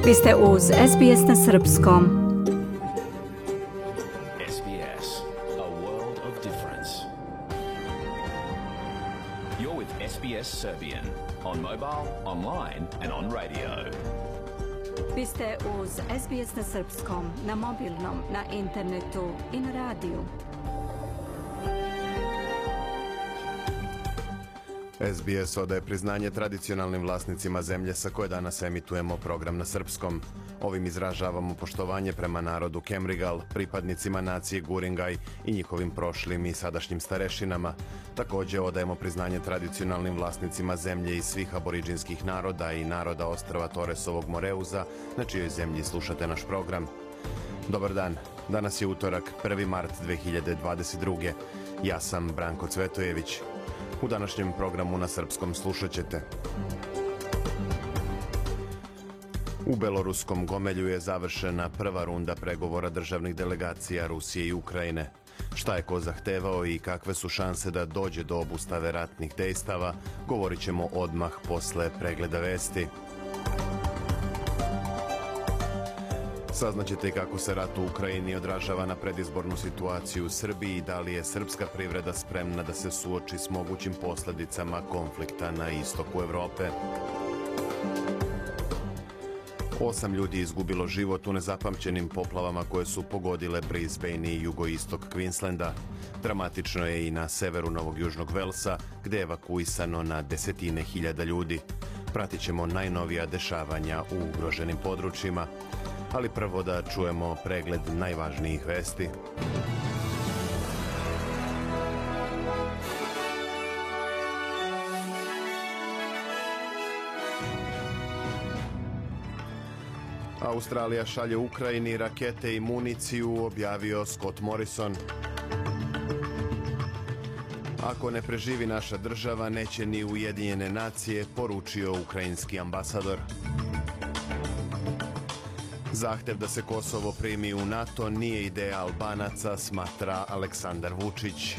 Vi ste uz SBS na srpskom. SBS, a world of difference. You're with SBS Serbian on mobile, online and on radio. Vi ste uz SBS na srpskom, na mobilnom, na internetu i na radiju. SBS odaje priznanje tradicionalnim vlasnicima zemlje sa koje danas emitujemo program na srpskom. Ovim izražavamo poštovanje prema narodu Kemrigal, pripadnicima nacije Guringaj i njihovim prošlim i sadašnjim starešinama. Također odajemo priznanje tradicionalnim vlasnicima zemlje i svih aboriđinskih naroda i naroda ostrva Toresovog Moreuza, na čijoj zemlji slušate naš program. Dobar dan, danas je utorak, 1. mart 2022. Ja sam Branko Cvetojević. U današnjem programu na srpskom slušat ćete. U beloruskom Gomelju je završena prva runda pregovora državnih delegacija Rusije i Ukrajine. Šta je ko zahtevao i kakve su šanse da dođe do obustave ratnih dejstava, govorit ćemo odmah posle pregleda vesti. Saznaćete i kako se rat u Ukrajini odražava na predizbornu situaciju u Srbiji i da li je srpska privreda spremna da se suoči s mogućim posljedicama konflikta na istoku Evrope. 8 ljudi izgubilo život u nezapamćenim poplavama koje su pogodile Brisbane i jugoistok Queenslanda. Dramatično je i na severu Novog Južnog Velsa, gde je evakuisano na desetine hiljada ljudi. Pratit ćemo najnovija dešavanja u ugroženim područjima. Ali prvo da čujemo pregled najvažnijih vesti. Australija šalje Ukrajini rakete i municiju, objavio Scott Morrison. Ako ne preživi naša država, neće ni Ujedinjene nacije, poručio ukrajinski ambasador. Zahtev da se Kosovo primi u NATO nije ideja Albanaca, smatra Aleksandar Vučić.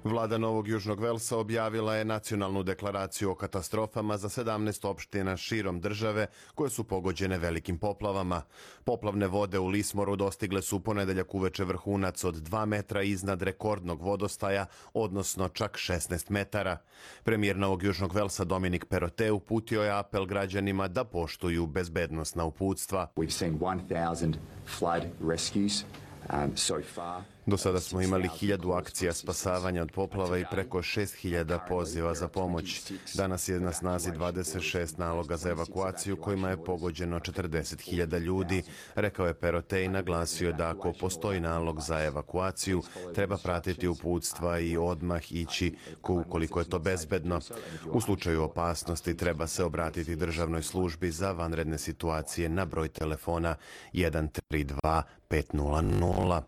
Vlada Novog Južnog Velsa objavila je nacionalnu deklaraciju o katastrofama za 17 opština širom države koje su pogođene velikim poplavama. Poplavne vode u Lismoru dostigle su ponedeljak uveče vrhunac od 2 metra iznad rekordnog vodostaja, odnosno čak 16 metara. Premijer Novog Južnog Velsa Dominik Perrottet uputio je apel građanima da poštuju bezbednosna uputstva. We've seen 1000 flood rescues so far. Do sada smo imali 1000 akcija spasavanja od poplava i preko 6000 poziva za pomoć. Danas je na snazi 26 naloga za evakuaciju kojima je pogođeno 40.000 ljudi, rekao je Perrottet i naglasio da ako postoji nalog za evakuaciju, treba pratiti uputstva i odmah ići ukoliko je to bezbedno. U slučaju opasnosti treba se obratiti državnoj službi za vanredne situacije na broj telefona 132 500.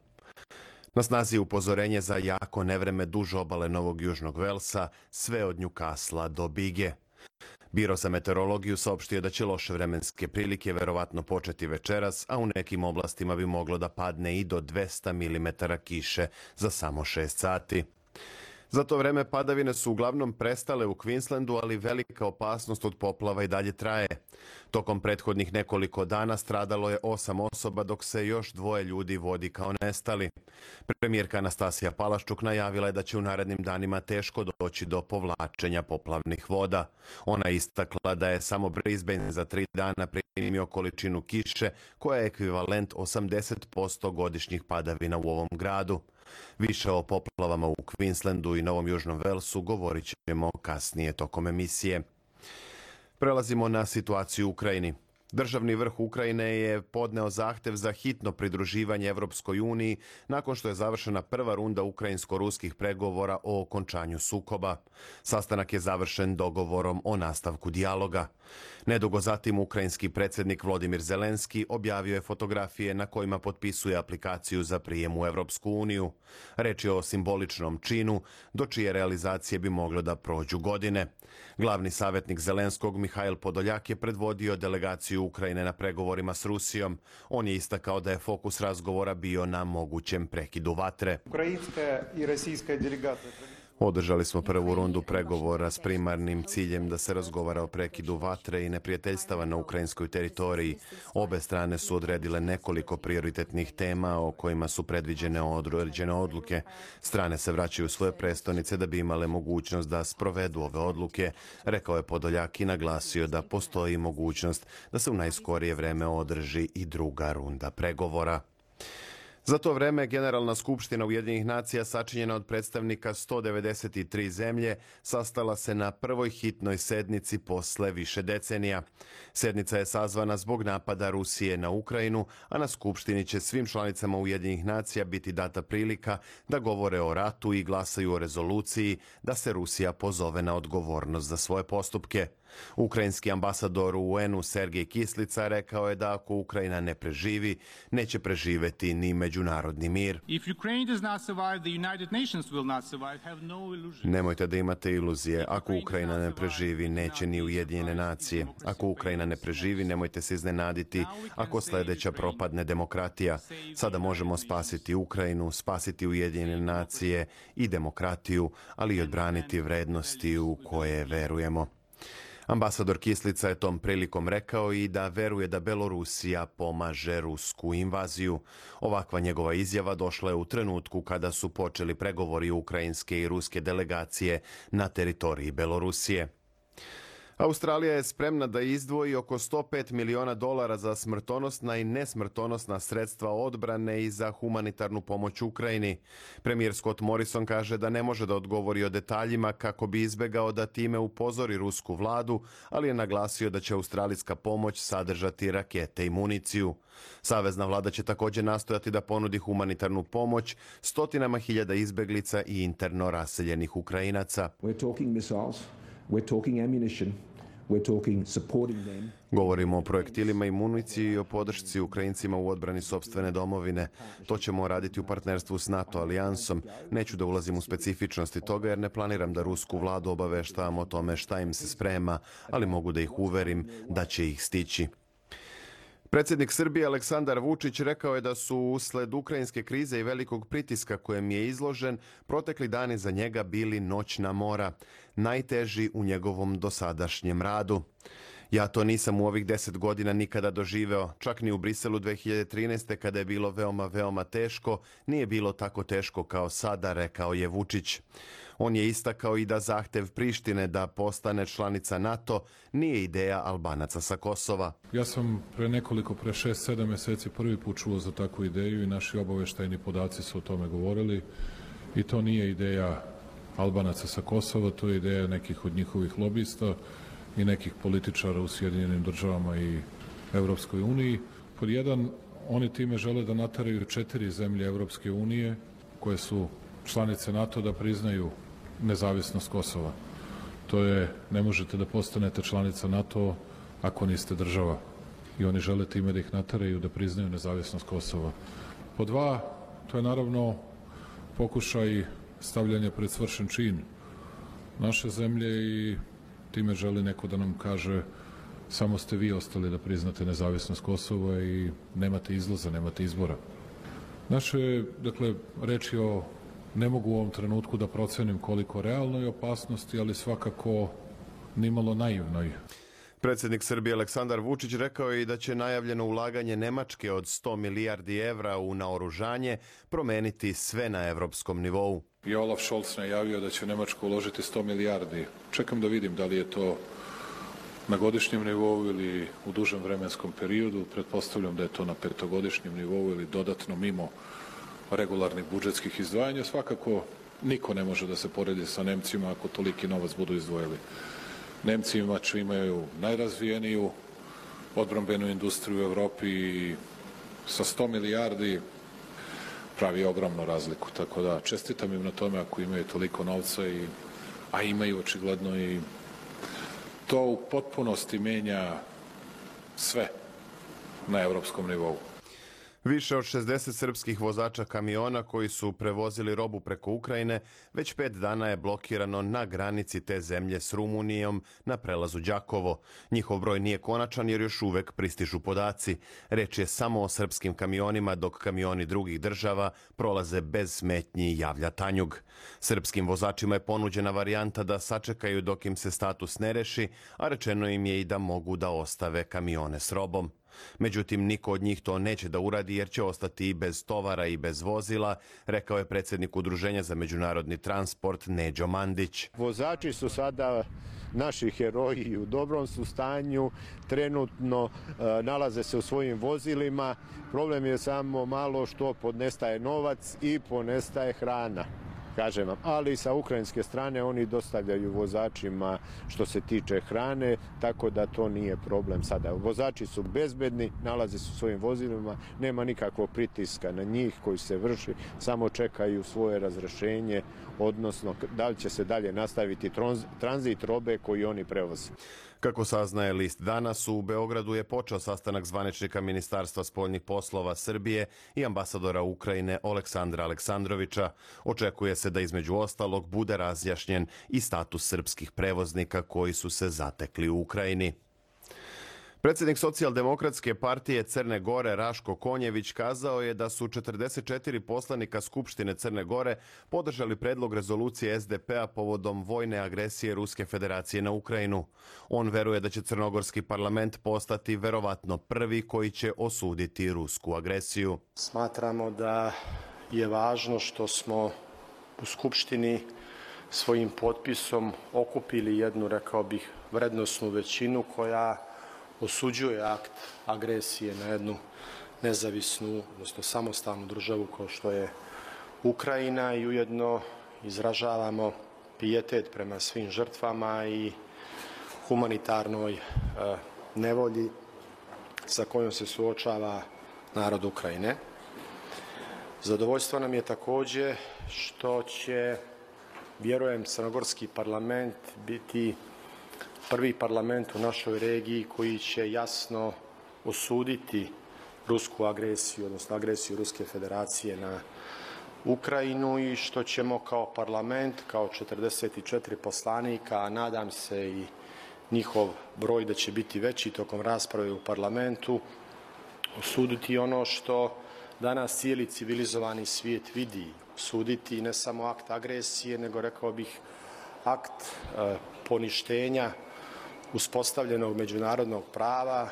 Na snazi je upozorenje za jako nevreme duž obale Novog Južnog Velsa, sve od Newcastle do Bige. Biro za meteorologiju saopštio da će loše vremenske prilike verovatno početi večeras, a u nekim oblastima bi moglo da padne i do 200 mm kiše za samo 6 sati. Za to vreme padavine su uglavnom prestale u Queenslandu, ali velika opasnost od poplava i dalje traje. Tokom prethodnih nekoliko dana stradalo je 8 osoba, dok se još 2 ljudi vodi kao nestali. Premijerka Anastasija Palaščuk najavila je da će u narednim danima teško doći do povlačenja poplavnih voda. Ona istakla da je samo Brisbane za 3 dana primio količinu kiše koja je ekvivalent 80% godišnjih padavina u ovom gradu. Više o poplavama u Queenslandu i Novom Južnom Velsu govorit ćemo kasnije tokom emisije. Prelazimo na situaciju u Ukrajini. Državni vrh Ukrajine je podneo zahtev za hitno pridruživanje Evropskoj uniji nakon što je završena prva runda ukrajinsko-ruskih pregovora o okončanju sukoba. Sastanak je završen dogovorom o nastavku dijaloga. Nedugo zatim ukrajinski predsjednik Volodymyr Zelenski objavio je fotografije na kojima potpisuje aplikaciju za prijem u Evropsku uniju. Reč je o simboličnom činu, do čije realizacije bi moglo da prođu godine. Glavni savjetnik Zelenskog Mihail Podoljak je predvodio delegaciju učešću Ukrajine na pregovorima s Rusijom. On je istakao da je fokus razgovora bio na mogućem prekidu vatre. Ukrajinska i российska delegacija Održali smo prvu rundu pregovora s primarnim ciljem da se razgovara o prekidu vatre i neprijateljstava na ukrajinskoj teritoriji. Obe strane su odredile nekoliko prioritetnih tema o kojima su predviđene određene odluke. Strane se vraćaju u svoje prestonice da bi imale mogućnost da sprovedu ove odluke, rekao je Podoljak i naglasio da postoji mogućnost da se u najskorije vreme održi i druga runda pregovora. Za to vreme Generalna skupština Ujedinjenih nacija, sačinjena od predstavnika 193 zemlje, sastala se na prvoj hitnoj sednici posle više decenija. Sednica je sazvana zbog napada Rusije na Ukrajinu, a na skupštini će svim članicama Ujedinjenih nacija biti data prilika da govore o ratu i glasaju o rezoluciji da se Rusija pozove na odgovornost za svoje postupke. Ukrajinski ambasador u UN-u Sergej Kislica rekao je da ako Ukrajina ne preživi, neće preživeti ni međunarodni mir. Nemojte da imate iluzije. Ako Ukrajina ne preživi, neće ni Ujedinjene nacije. Ako Ukrajina ne preživi, nemojte se iznenaditi ako sljedeća propadne demokratija. Sada možemo spasiti Ukrajinu, spasiti Ujedinjene nacije i demokratiju, ali i odbraniti vrednosti u koje verujemo. Ambasador Kislica je tom prilikom rekao i da veruje da Belorusija pomaže rusku invaziju. Ovakva njegova izjava došla je u trenutku kada su počeli pregovori ukrajinske i ruske delegacije na teritoriji Belorusije. Australija je spremna da izdvoji oko $105 miliona za smrtonosna i nesmrtonosna sredstva odbrane i za humanitarnu pomoć Ukrajini. Premijer Scott Morrison kaže da ne može da odgovori o detaljima kako bi izbegao da time upozori rusku vladu, ali je naglasio da će australijska pomoć sadržati rakete i municiju. Savezna vlada će također nastojati da ponudi humanitarnu pomoć stotinama hiljada izbeglica i interno raseljenih Ukrajinaca. We're talking missiles, we're talking ammunition. Govorimo o projektilima i municiji i o podršci Ukrajincima u odbrani sopstvene domovine. To ćemo raditi u partnerstvu s NATO alijansom. Neću da ulazim u specifičnosti toga jer ne planiram da rusku vladu obaveštavam o tome šta im se sprema, ali mogu da ih uverim da će ih stići. Predsjednik Srbije Aleksandar Vučić rekao je da su usled ukrajinske krize i velikog pritiska kojem je izložen protekli dani za njega bili noćna mora, najteži u njegovom dosadašnjem radu. Ja to nisam u ovih 10 godina nikada doživeo, čak ni u Briselu 2013. kada je bilo veoma teško, nije bilo tako teško kao sada, rekao je Vučić. On je istakao i da zahtev Prištine da postane članica NATO nije ideja Albanaca sa Kosova. Ja sam pre 6-7 mjeseci prvi put čuo za takvu ideju i naši obaveštajni podaci su o tome govorili i to nije ideja Albanaca sa Kosova, to je ideja nekih od njihovih lobista i nekih političara u Sjedinjenim državama i Evropskoj uniji. Pod jedan, oni time žele da nateraju 4 zemlje Evropske unije koje su članice NATO da priznaju nezavisnost Kosova. To je, ne možete da postanete članica NATO ako niste država. I oni žele time da ih nateraju da priznaju nezavisnost Kosova. Pod dva, to je naravno pokušaj stavljanja pred svršen čin naše zemlje i time želi neko da nam kaže samo ste vi ostali da priznate nezavisnost Kosova i nemate izlaza, nemate izbora. Naše, dakle, reč je o, ne mogu u ovom trenutku da procenim koliko realnoj opasnosti, ali svakako nimalo naivnoj. Predsjednik Srbije Aleksandar Vučić rekao je i da će najavljeno ulaganje Nemačke od 100 milijardi evra u naoružanje promeniti sve na evropskom nivou. I Olaf Scholz najavio da će Nemačka uložiti 100 milijardi. Čekam da vidim da li je to na godišnjem nivou ili u dužem vremenskom periodu. Pretpostavljam da je to na 5-godišnjem nivou ili dodatno mimo regularnih budžetskih izdvajanja. Svakako niko ne može da se poredi sa Nemcima ako toliki novac budu izdvojili. Nemci imaju najrazvijeniju odbrambenu industriju u Evropi i sa 100 milijardi pravi ogromnu razliku. Tako da čestitam im na tome ako imaju toliko novca, a imaju očigledno i to u potpunosti menja sve na evropskom nivou. Više od 60 srpskih vozača kamiona koji su prevozili robu preko Ukrajine već 5 dana je blokirano na granici te zemlje s Rumunijom na prelazu Đakovo. Njihov broj nije konačan jer još uvek pristižu podaci. Reč je samo o srpskim kamionima, dok kamioni drugih država prolaze bez smetnji, javlja Tanjug. Srpskim vozačima je ponuđena varijanta da sačekaju dok im se status ne reši, a rečeno im je i da mogu da ostave kamione s robom. Međutim, niko od njih to neće da uradi jer će ostati i bez tovara i bez vozila, rekao je predsjednik Udruženja za međunarodni transport Neđo Mandić. Vozači su sada naši heroji, u dobrom su stanju, trenutno nalaze se u svojim vozilima. Problem je samo malo što podnestaje novac i ponestaje hrana. Kažem vam, ali sa ukrajinske strane oni dostavljaju vozačima što se tiče hrane, tako da to nije problem sada. Vozači su bezbedni, nalaze se u svojim vozilima, nema nikakvog pritiska na njih koji se vrši, samo čekaju svoje razrešenje, odnosno da li će se dalje nastaviti tranzit robe koji oni prevoze. Kako saznaje list Danas, u Beogradu je počeo sastanak zvaničnika Ministarstva spoljnih poslova Srbije i ambasadora Ukrajine Aleksandra Aleksandrovića. Očekuje se da između ostalog bude razjašnjen i status srpskih prevoznika koji su se zatekli u Ukrajini. Predsjednik Socijaldemokratske partije Crne Gore Raško Konjević kazao je da su 44 poslanika Skupštine Crne Gore podržali predlog rezolucije SDP-a povodom vojne agresije Ruske federacije na Ukrajinu. On veruje da će crnogorski parlament postati verovatno prvi koji će osuditi rusku agresiju. Smatramo da je važno što smo u Skupštini svojim potpisom okupili jednu, rekao bih, vrednosnu većinu koja osuđuje akt agresije na jednu nezavisnu, odnosno samostalnu državu kao što je Ukrajina i ujedno izražavamo pijetet prema svim žrtvama i humanitarnoj nevolji sa kojom se suočava narod Ukrajine. Zadovoljstvo nam je također što će, vjerujem, crnogorski parlament biti prvi parlament u našoj regiji koji će jasno osuditi rusku agresiju, odnosno agresiju Ruske federacije na Ukrajinu i što ćemo kao parlament, kao 44 poslanika, a nadam se i njihov broj da će biti veći tokom rasprave u parlamentu, osuditi ono što danas cijeli civilizovani svijet vidi, osuditi ne samo akt agresije, nego rekao bih akt poništenja uspostavljenog međunarodnog prava.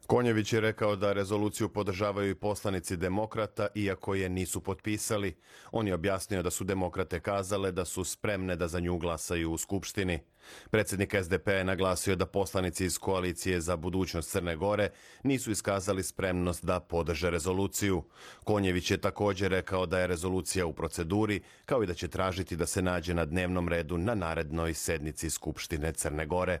Konjević je rekao da rezoluciju podržavaju i poslanici demokrata, iako je nisu potpisali. On je objasnio da su demokrate kazale da su spremne da za nju glasaju u Skupštini. Predsjednik SDP je naglasio da poslanici iz Koalicije za budućnost Crne Gore nisu iskazali spremnost da podrže rezoluciju. Konjević je također rekao da je rezolucija u proceduri, kao i da će tražiti da se nađe na dnevnom redu na narednoj sednici Skupštine Crne Gore.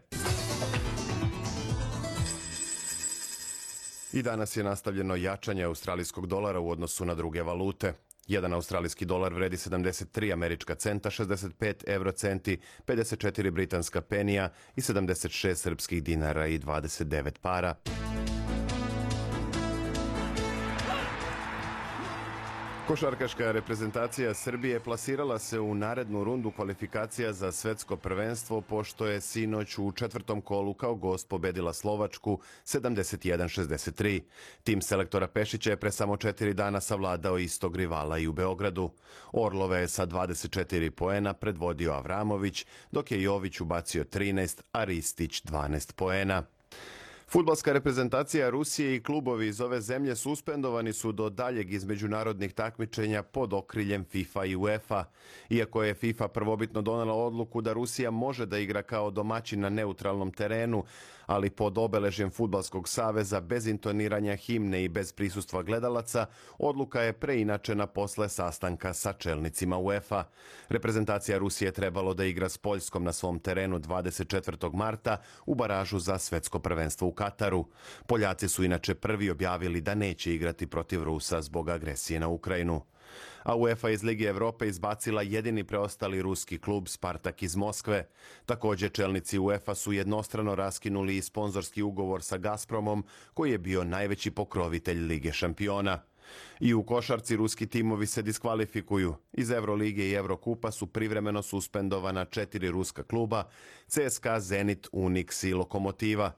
I danas je nastavljeno jačanje australijskog dolara u odnosu na druge valute. Jedan australijski dolar vredi 73 američka centa, 65 eurocenti, 54 britanska penija i 76 srpskih dinara i 29 para. Košarkaška reprezentacija Srbije plasirala se u narednu rundu kvalifikacija za svetsko prvenstvo pošto je sinoć u četvrtom kolu kao gost pobedila Slovačku 71-63. Tim selektora Pešića je pre samo 4 dana savladao istog rivala i u Beogradu. Orlove je sa 24 poena predvodio Avramović, dok je Jović ubacio 13, a Ristić 12 poena. Fudbalska reprezentacija Rusije i klubovi iz ove zemlje suspendovani su do daljeg iz međunarodnih takmičenja pod okriljem FIFA i UEFA. Iako je FIFA prvobitno donela odluku da Rusija može da igra kao domaćin na neutralnom terenu, ali pod obeležjem Fudbalskog saveza bez intoniranja himne i bez prisustva gledalaca, odluka je preinačena posle sastanka sa čelnicima UEFA. Reprezentacija Rusije trebalo da igra s Poljskom na svom terenu 24. marta u baražu za svetsko prvenstvo u Kataru. Poljaci su inače prvi objavili da neće igrati protiv Rusa zbog agresije na Ukrajinu. A UEFA iz Lige Evrope izbacila jedini preostali ruski klub Spartak iz Moskve. Također čelnici UEFA su jednostrano raskinuli i sponzorski ugovor sa Gazpromom, koji je bio najveći pokrovitelj Lige šampiona. I u košarci ruski timovi se diskvalifikuju. Iz Evrolige i Evrokupa su privremeno suspendovana 4 ruska kluba: CSKA, Zenit, Unix i Lokomotiva.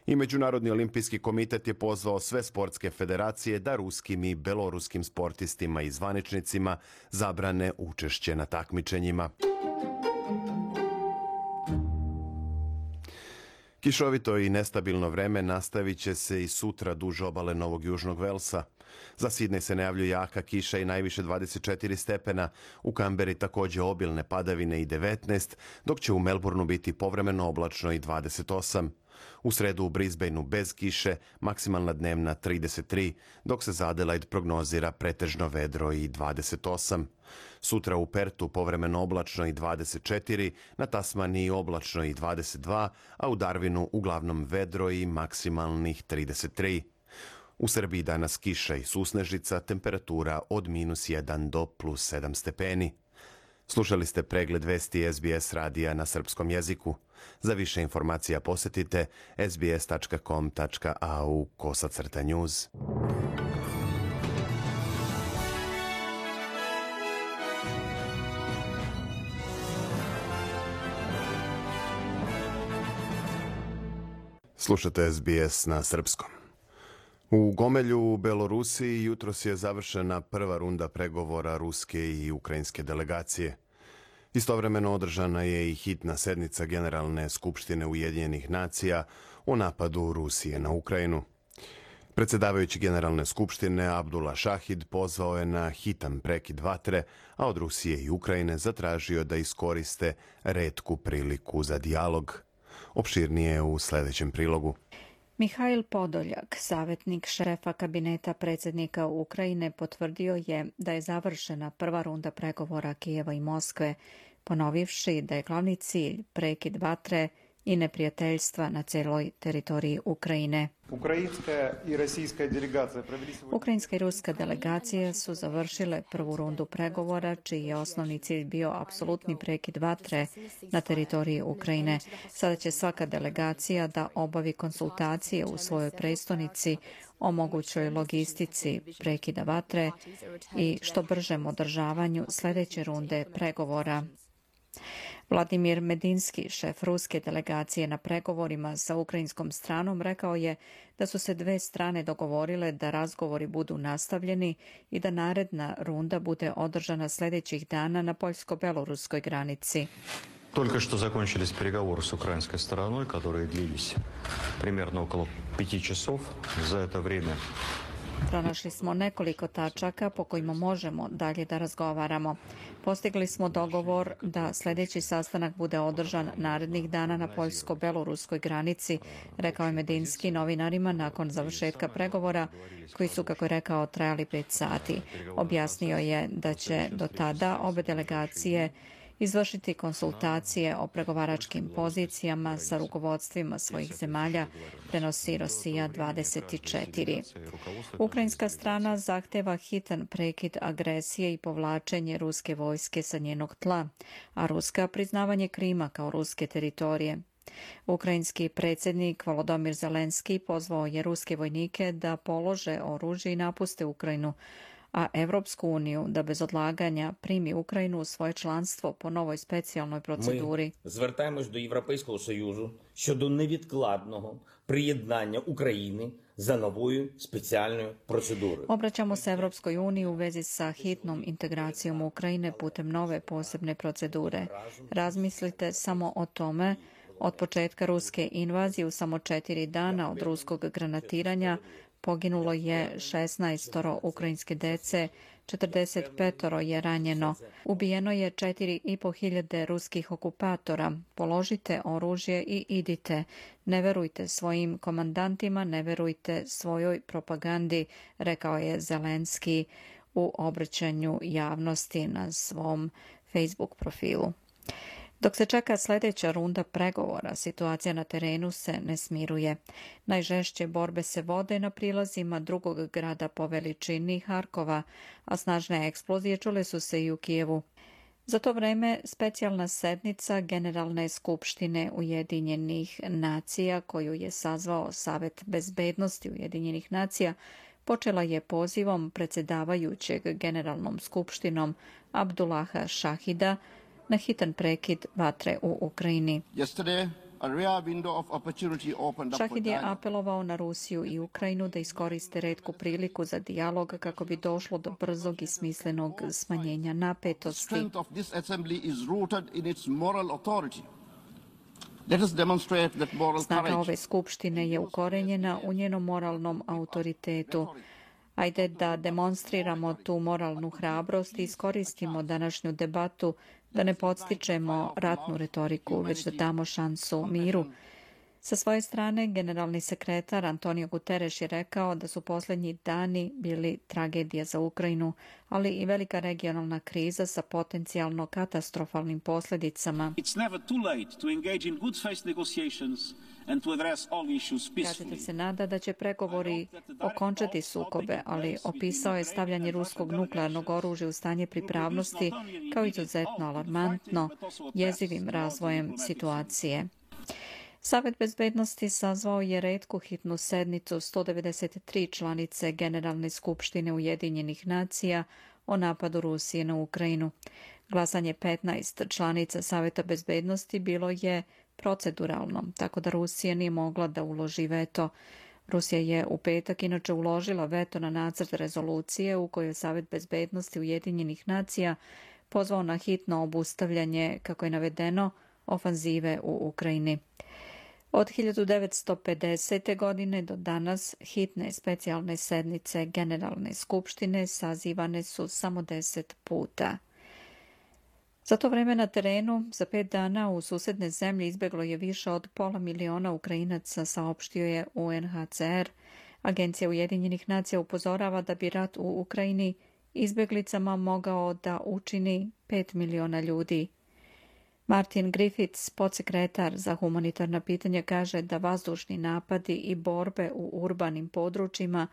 I Međunarodni olimpijski komitet je pozvao sve sportske federacije da ruskim i beloruskim sportistima i zvaničnicima zabrane učešće na takmičenjima. Kišovito i nestabilno vreme nastavit će se i sutra duž obale Novog Južnog Velsa. Za Sidnej se najavljuje jaka kiša i najviše 24 stepena, u Kamberi također obilne padavine i 19, dok će u Melbourneu biti povremeno oblačno i 28. U sredu u Brisbaneu bez kiše, maksimalna dnevna 33, dok se za Adelaide prognozira pretežno vedro i 28. Sutra u Pertu povremeno oblačno i 24, na Tasmaniji oblačno i 22, a u Darwinu uglavnom vedro i maksimalnih 33. U Srbiji danas kiša i susnežica, temperatura od -1 do +7 stepeni. Slušali ste pregled vesti SBS radija na srpskom jeziku. Za više informacija posjetite sbs.com.au/news. Slušate SBS na srpskom. U Gomelju u Belorusiji jutros je završena prva runda pregovora ruske i ukrajinske delegacije. Istovremeno održana je i hitna sednica Generalne skupštine Ujedinjenih nacija o napadu Rusije na Ukrajinu. Predsjedavajući Generalne skupštine Abdullah Shahid pozvao je na hitan prekid vatre, a od Rusije i Ukrajine zatražio da iskoriste retku priliku za dijalog. Opširnije u sljedećem prilogu. Mihail Podoljak, savjetnik šefa kabineta predsjednika Ukrajine, potvrdio je da je završena prva runda pregovora Kijeva i Moskve, ponovivši da je glavni cilj prekid vatre i neprijateljstva na celoj teritoriji Ukrajine. Ukrajinska i ruska delegacije su završile prvu rundu pregovora, čiji je osnovni cilj bio apsolutni prekid vatre na teritoriji Ukrajine. Sada će svaka delegacija da obavi konsultacije u svojoj prestonici o mogućoj logistici prekida vatre i što bržem održavanju sljedeće runde pregovora. Vladimir Medinski, šef ruske delegacije na pregovorima sa ukrajinskom stranom, rekao je da su se dve strane dogovorile da razgovori budu nastavljeni i da naredna runda bude održana sljedećih dana na poljsko-beloruskoj granici. Только что закончились переговоры с украинской стороной, которые длились примерно около 5 часов. За это время pronašli smo nekoliko tačaka po kojima možemo dalje da razgovaramo. Postigli smo dogovor da sljedeći sastanak bude održan narednih dana na poljsko-beloruskoj granici, rekao je Medinski novinarima nakon završetka pregovora, koji su, kako je rekao, trajali 5 sati. Objasnio je da će do tada obe delegacije izvršiti konsultacije o pregovaračkim pozicijama sa rukovodstvima svojih zemalja, prenosi Rosija 24. Ukrajinska strana zahteva hitan prekid agresije i povlačenje ruske vojske sa njenog tla, a Ruska priznavanje Krima kao ruske teritorije. Ukrajinski predsjednik Volodymyr Zelenski pozvao je ruske vojnike da polože oružje i napuste Ukrajinu, a Evropsku uniju da bez odlaganja primi Ukrajinu u svoje članstvo po novoj specijalnoj proceduri. Ми звертаємось до Європейського Союзу щодо невідкладного приєднання України za новою спеціальною процедурою. Obraćamo se Evropskoj uniji u vezi sa hitnom integracijom Ukrajine putem nove posebne procedure. Razmislite samo o tome. Od početka ruske invazije u samo 4 dana od ruskog granatiranja poginulo je 16 ukrajinske dece, 45 je ranjeno. Ubijeno je 4.500 ruskih okupatora. Položite oružje i idite. Ne verujte svojim komandantima, ne verujte svojoj propagandi, rekao je Zelenski u obraćanju javnosti na svom Facebook profilu. Dok se čeka sljedeća runda pregovora, situacija na terenu se ne smiruje. Najžešće borbe se vode na prilazima drugog grada po veličini Harkova, a snažne eksplozije čule su se i u Kijevu. Za to vreme specijalna sednica Generalne skupštine Ujedinjenih nacija, koju je sazvao Savet bezbednosti Ujedinjenih nacija, počela je pozivom predsjedavajućeg Generalnom skupštinom Abdullaha Šahida na hitan prekid vatre u Ukrajini. Šahid je apelovao na Rusiju i Ukrajinu da iskoriste retku priliku za dijalog kako bi došlo do brzog i smislenog smanjenja napetosti. Snaga ove skupštine je ukorenjena u njenom moralnom autoritetu. Ajde da demonstriramo tu moralnu hrabrost i iskoristimo današnju debatu da ne podstičemo ratnu retoriku, već da damo šansu miru. Sa svoje strane, generalni sekretar Antonio Guterres je rekao da su posljednji dani bili tragedija za Ukrajinu, ali i velika regionalna kriza sa potencijalno katastrofalnim posljedicama. Kaže da se nada da će pregovori okončati sukobe, ali opisao je stavljanje ruskog nuklearnog oružja u stanje pripravnosti kao izuzetno alarmantno, jezivim razvojem situacije. Savet bezbednosti sazvao je retku hitnu sednicu 193 članice Generalne skupštine Ujedinjenih nacija o napadu Rusije na Ukrajinu. Glasanje 15 članica Saveta bezbednosti bilo je proceduralno, tako da Rusija nije mogla da uloži veto. Rusija je u petak inače uložila veto na nacrt rezolucije u kojoj je Savet bezbednosti Ujedinjenih nacija pozvao na hitno obustavljanje, kako je navedeno, ofanzive u Ukrajini. Od 1950. godine do danas hitne specijalne sednice Generalne skupštine sazivane su samo 10 puta. Za to vreme na terenu za 5 dana u susedne zemlje izbjeglo je više od 500.000 Ukrajinaca, saopštio je UNHCR. Agencija Ujedinjenih nacija upozorava da bi rat u Ukrajini izbjeglicama mogao da učini 5 miliona ljudi. Martin Griffiths, podsekretar za humanitarna pitanja, kaže da vazdušni napadi i borbe u urbanim područjima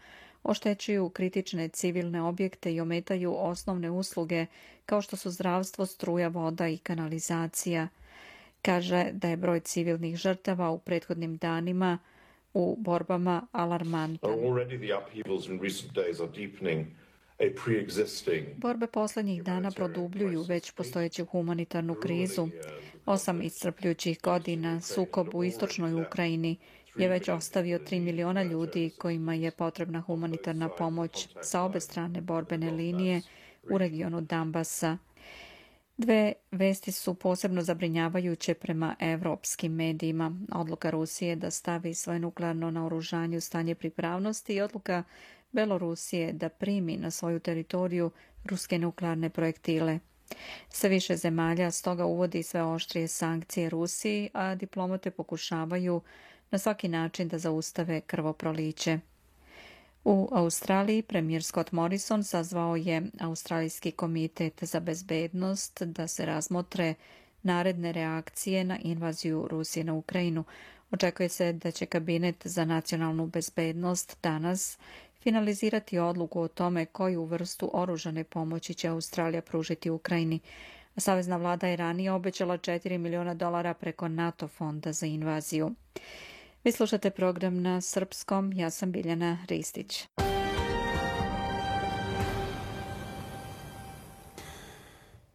oštećuju kritične civilne objekte i ometaju osnovne usluge kao što su zdravstvo, struja, voda i kanalizacija. Kaže da je broj civilnih žrtava u prethodnim danima u borbama alarmantan. Borbe posljednjih dana produbljuju već postojeću humanitarnu krizu. 8 iscrpljujućih godina sukob u istočnoj Ukrajini je već ostavio 3 miliona ljudi kojima je potrebna humanitarna pomoć sa obe strane borbene linije u regionu Donbasa. Dve vesti su posebno zabrinjavajuće prema evropskim medijima. Odluka Rusije da stavi svoje nuklearno naoružanje u stanje pripravnosti i odluka Belorusije da primi na svoju teritoriju ruske nuklearne projektile. Sve više zemalja stoga uvodi sve oštrije sankcije Rusiji, a diplomate pokušavaju na svaki način da zaustave krvoproliće. U Australiji premijer Scott Morrison sazvao je Australijski komitet za bezbednost da se razmotre naredne reakcije na invaziju Rusije na Ukrajinu. Očekuje se da će kabinet za nacionalnu bezbednost danas finalizirati odluku o tome koju vrstu oružane pomoći će Australija pružiti Ukrajini. Savezna vlada je ranije obećala $4 miliona preko NATO fonda za invaziju. Vi slušate program na srpskom, ja sam Biljana Ristić.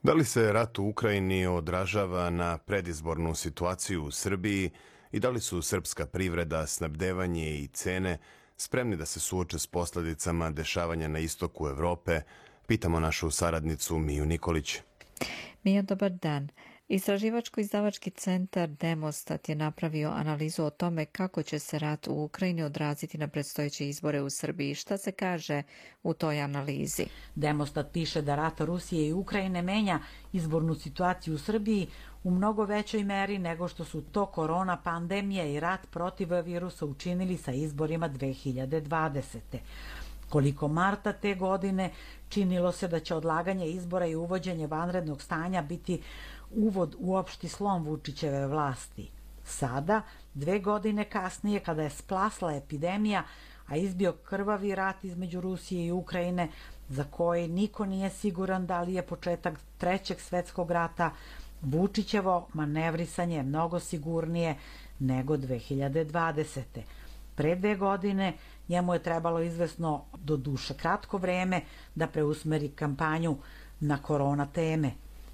Da li se rat u Ukrajini odražava na predizbornu situaciju u Srbiji i da li su srpska privreda, snabdevanje i cene spremni da se suoče s posljedicama dešavanja na istoku Evrope? Pitamo našu saradnicu Miju Nikolić. Mija, dobar dan. Istraživačko-izdavački centar Demostat je napravio analizu o tome kako će se rat u Ukrajini odraziti na predstojeće izbore u Srbiji. Šta se kaže u toj analizi? Demostat piše da rat Rusije i Ukrajine menja izbornu situaciju u Srbiji u mnogo većoj meri nego što su to korona pandemija i rat protiv virusa učinili sa izborima 2020. Koliko marta te godine činilo se da će odlaganje izbora i uvođenje vanrednog stanja biti uvod u opšti slom Vučićeve vlasti. Sada, 2 godine kasnije, kada je splasla epidemija, a izbio krvavi rat između Rusije i Ukrajine, za koji niko nije siguran da li je početak Trećeg svetskog rata, Vučićevo manevrisanje je mnogo sigurnije nego 2020. Pre 2 godine njemu je trebalo izvesno, do duše kratko vreme, da preusmeri kampanju na korona teme.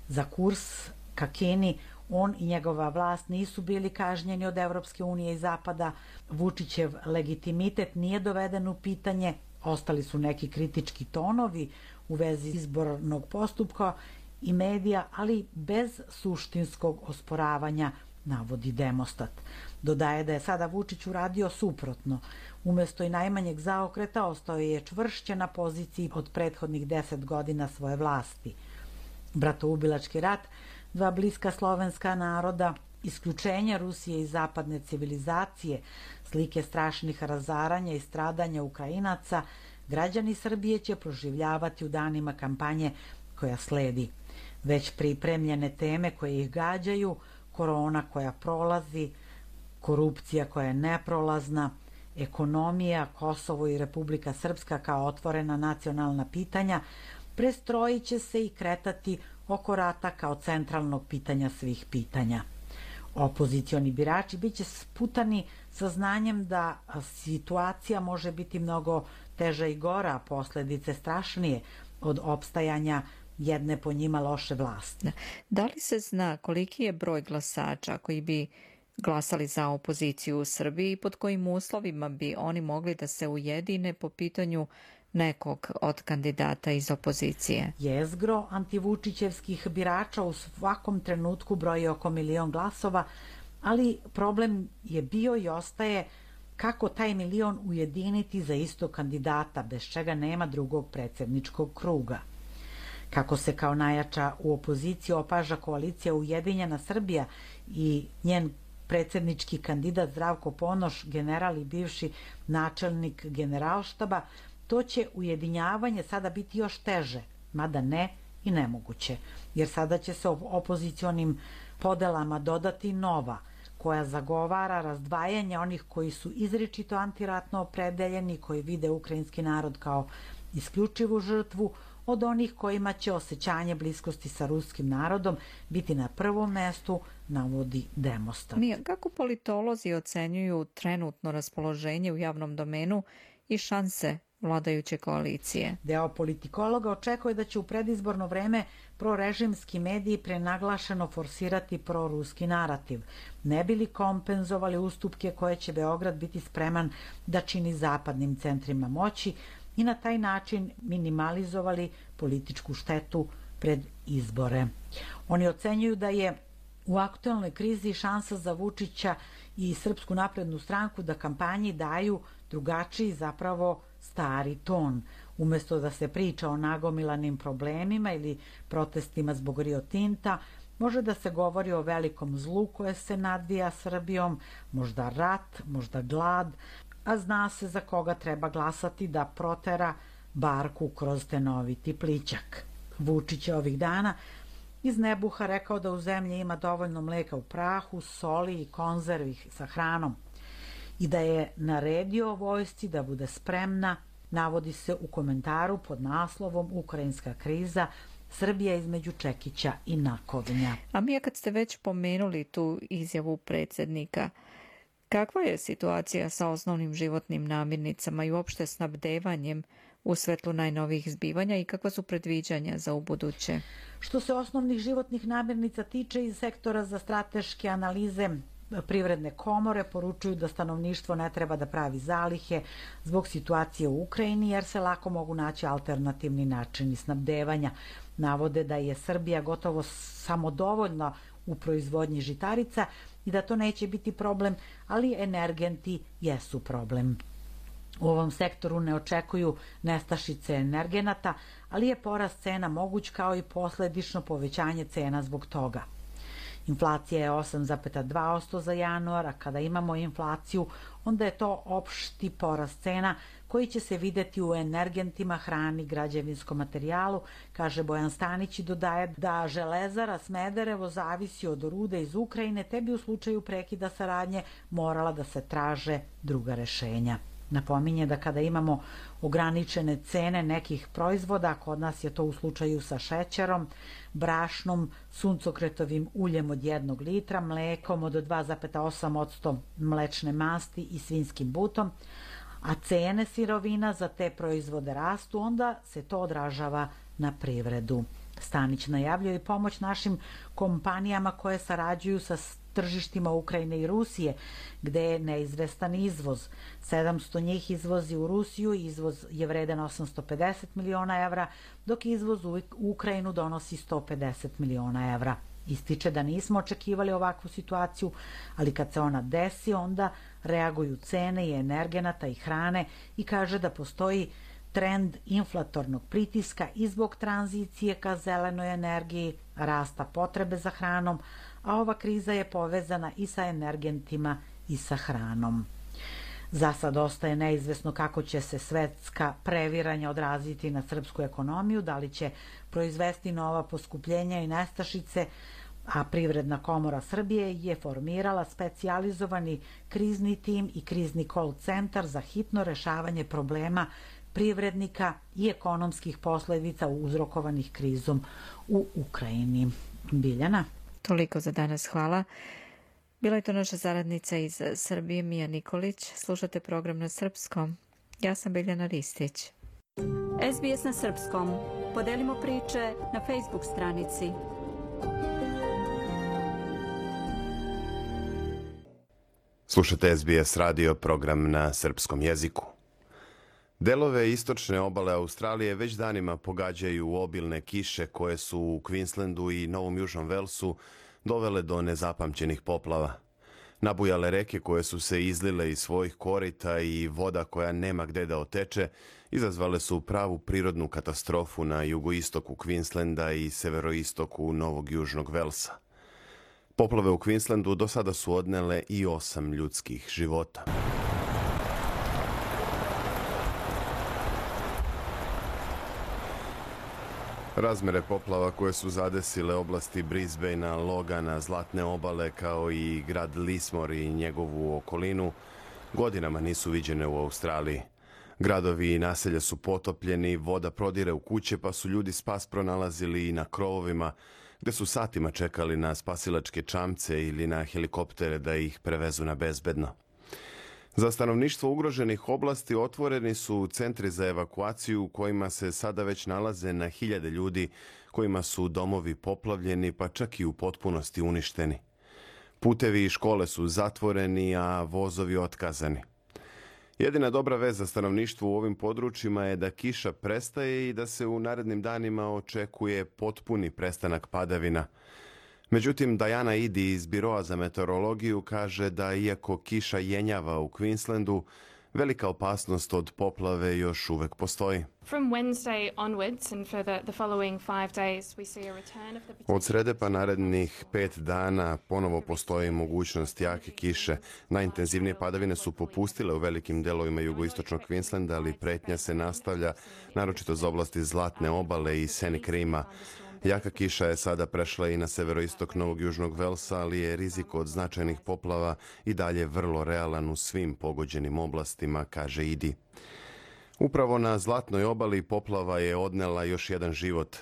Za kurs ka Kini on i njegova vlast nisu bili kažnjeni od Evropske unije i Zapada, Vučićev legitimitet nije doveden u pitanje, ostali su neki kritički tonovi u vezi izbornog postupka i medija, ali bez suštinskog osporavanja, navodi Demostat. Dodaje da je sada Vučić uradio suprotno. Umesto i najmanjeg zaokreta ostao je čvršće na poziciji od prethodnih 10 godina svoje vlasti. Bratoubilački rat, 2 bliska slovenska naroda, isključenje Rusije i zapadne civilizacije, slike strašnih razaranja i stradanja Ukrajinaca, građani Srbije će proživljavati u danima kampanje koja sledi. Već pripremljene teme koje ih gađaju, korona koja prolazi, korupcija koja je neprolazna, ekonomija, Kosovo i Republika Srpska kao otvorena nacionalna pitanja, prestrojit će se i kretati oko rata kao centralnog pitanja svih pitanja. Opozicioni birači biće sputani sa znanjem da situacija može biti mnogo teža i gora, a posledice strašnije od opstajanja jedne po njima loše vlasti. Da li se zna koliki je broj glasača koji bi glasali za opoziciju u Srbiji i pod kojim uslovima bi oni mogli da se ujedine po pitanju nekog od kandidata iz opozicije? Jezgro antivučićevskih birača u svakom trenutku broji oko 1 milion glasova, ali problem je bio i ostaje kako taj 1 milion ujediniti za istog kandidata, bez čega nema drugog predsjedničkog kruga. Kako se kao najjača u opoziciji opaža koalicija Ujedinjena Srbija i njen predsjednički kandidat Zdravko Ponoš, general i bivši načelnik Generalštaba, to će ujedinjavanje sada biti još teže, mada ne i nemoguće, jer sada će se opozicionim podelama dodati nova, koja zagovara razdvajanje onih koji su izričito antiratno opredeljeni, koji vide ukrajinski narod kao isključivu žrtvu, od onih kojima će osjećanje bliskosti sa ruskim narodom biti na prvom mestu, navodi Demostat. Mija, kako politolozi ocenjuju trenutno raspoloženje u javnom domenu i šanse vladajuće koalicije? Deo politikologa očekuje da će u predizborno vreme prorežimski mediji prenaglašeno forsirati proruski narativ, ne bi li kompenzovali ustupke koje će Beograd biti spreman da čini zapadnim centrima moći i na taj način minimalizovali političku štetu pred izbore. Oni ocenjuju da je u aktualnoj krizi šansa za Vučića i Srpsku naprednu stranku da kampanji daju drugačiji, zapravo stari ton. Umesto da se priča o nagomilanim problemima ili protestima zbog Rio Tinta, može da se govori o velikom zlu koje se nadvija Srbijom, možda rat, možda glad, a zna se za koga treba glasati da protera barku kroz tenoviti plićak. Vučić je ovih dana iz nebuha rekao da u zemlji ima dovoljno mleka u prahu, soli i konzervi sa hranom i da je naredio vojsci da bude spremna, navodi se u komentaru pod naslovom Ukrajinska kriza, Srbija između čekića i nakovnja. A Mija, kad ste već pomenuli tu izjavu predsjednika, kakva je situacija sa osnovnim životnim namirnicama i uopšte snabdevanjem u svetlu najnovijih zbivanja i kakva su predviđanja za ubuduće? Što se osnovnih životnih namirnica tiče, iz sektora za strateške analize Privredne komore poručuju da stanovništvo ne treba da pravi zalihe zbog situacije u Ukrajini, jer se lako mogu naći alternativni načini snabdevanja. Navode da je Srbija gotovo samodovoljna u proizvodnji žitarica i da to neće biti problem, ali energenti jesu problem. U ovom sektoru ne očekuju nestašice energenata, ali je porast cena moguć kao i posledično povećanje cena zbog toga. Inflacija je 8,2% za januar, a kada imamo inflaciju, onda je to opšti porast cena koji će se videti u energentima, hrani, građevinskom materijalu, kaže Bojan Stanić i dodaje da Železara Smederevo zavisi od rude iz Ukrajine, te bi u slučaju prekida saradnje morala da se traže druga rešenja. Napominje da kada imamo ograničene cene nekih proizvoda, kod nas je to u slučaju sa šećerom, brašnom, suncokretovim uljem od 1 litra, mlekom od 2,8% mlečne masti i svinjskim butom, a cene sirovina za te proizvode rastu, onda se to odražava na privredu. Stanić najavljuje i pomoć našim kompanijama koje sarađuju sa tržištima Ukrajine i Rusije, gde je neizvestan izvoz. 700 njih izvozi u Rusiju, izvoz je vredan 850 miliona evra, dok izvoz u Ukrajinu donosi 150 miliona evra. Ističe da nismo očekivali ovakvu situaciju, ali kad se ona desi, onda reaguju cene i energenata i hrane i kaže da postoji trend inflatornog pritiska i zbog tranzicije ka zelenoj energiji, rasta potrebe za hranom, a ova kriza je povezana i sa energentima i sa hranom. Za sad ostaje neizvesno kako će se svetska previranja odraziti na srpsku ekonomiju, da li će proizvesti nova poskupljenja i nestašice, a Privredna komora Srbije je formirala specijalizovani krizni tim i krizni call centar za hitno rešavanje problema privrednika i ekonomskih posledica uzrokovanih krizom u Ukrajini. Biljana? Toliko za danas, hvala. Bila je to naša saradnica iz Srbije, Mija Nikolić. Slušate program na srpskom. Ja sam Biljana Ristić. SBS na srpskom. Podelimo priče na Facebook stranici. Slušate SBS radio, program na srpskom jeziku. Delove istočne obale Australije već danima pogađaju obilne kiše koje su u Queenslandu i Novom Južnom Velsu dovele do nezapamćenih poplava. Nabujale reke koje su se izlile iz svojih korita i voda koja nema gde da oteče izazvale su pravu prirodnu katastrofu na jugoistoku Queenslanda i severoistoku Novog Južnog Velsa. Poplave u Queenslandu do sada su odnele i 8 ljudskih života. Razmere poplava koje su zadesile oblasti Brisbanea, Logana, Zlatne obale kao i grad Lismore i njegovu okolinu godinama nisu viđene u Australiji. Gradovi i naselja su potopljeni, voda prodire u kuće pa su ljudi spas pronalazili i na krovovima gde su satima čekali na spasilačke čamce ili na helikoptere da ih prevezu na bezbedno. Za stanovništvo ugroženih oblasti otvoreni su centri za evakuaciju u kojima se sada već nalaze na hiljade ljudi kojima su domovi poplavljeni pa čak i u potpunosti uništeni. Putevi i škole su zatvoreni, a vozovi otkazani. Jedina dobra vest za stanovništvo u ovim područjima je da kiša prestaje i da se u narednim danima očekuje potpuni prestanak padavina. Međutim, Diana Idi iz Biroa za meteorologiju kaže da iako kiša jenjava u Queenslandu, velika opasnost od poplave još uvek postoji. Od srede pa narednih 5 dana ponovo postoji mogućnost jake kiše. Najintenzivnije padavine su popustile u velikim delovima jugoistočnog Queenslanda, ali pretnja se nastavlja, naročito za oblasti Zlatne obale i Scenic Rima. Jaka kiša je sada prešla i na severoistok Novog Južnog Velsa, ali je rizik od značajnih poplava i dalje vrlo realan u svim pogođenim oblastima, kaže Idi. Upravo na Zlatnoj obali poplava je odnela još jedan život.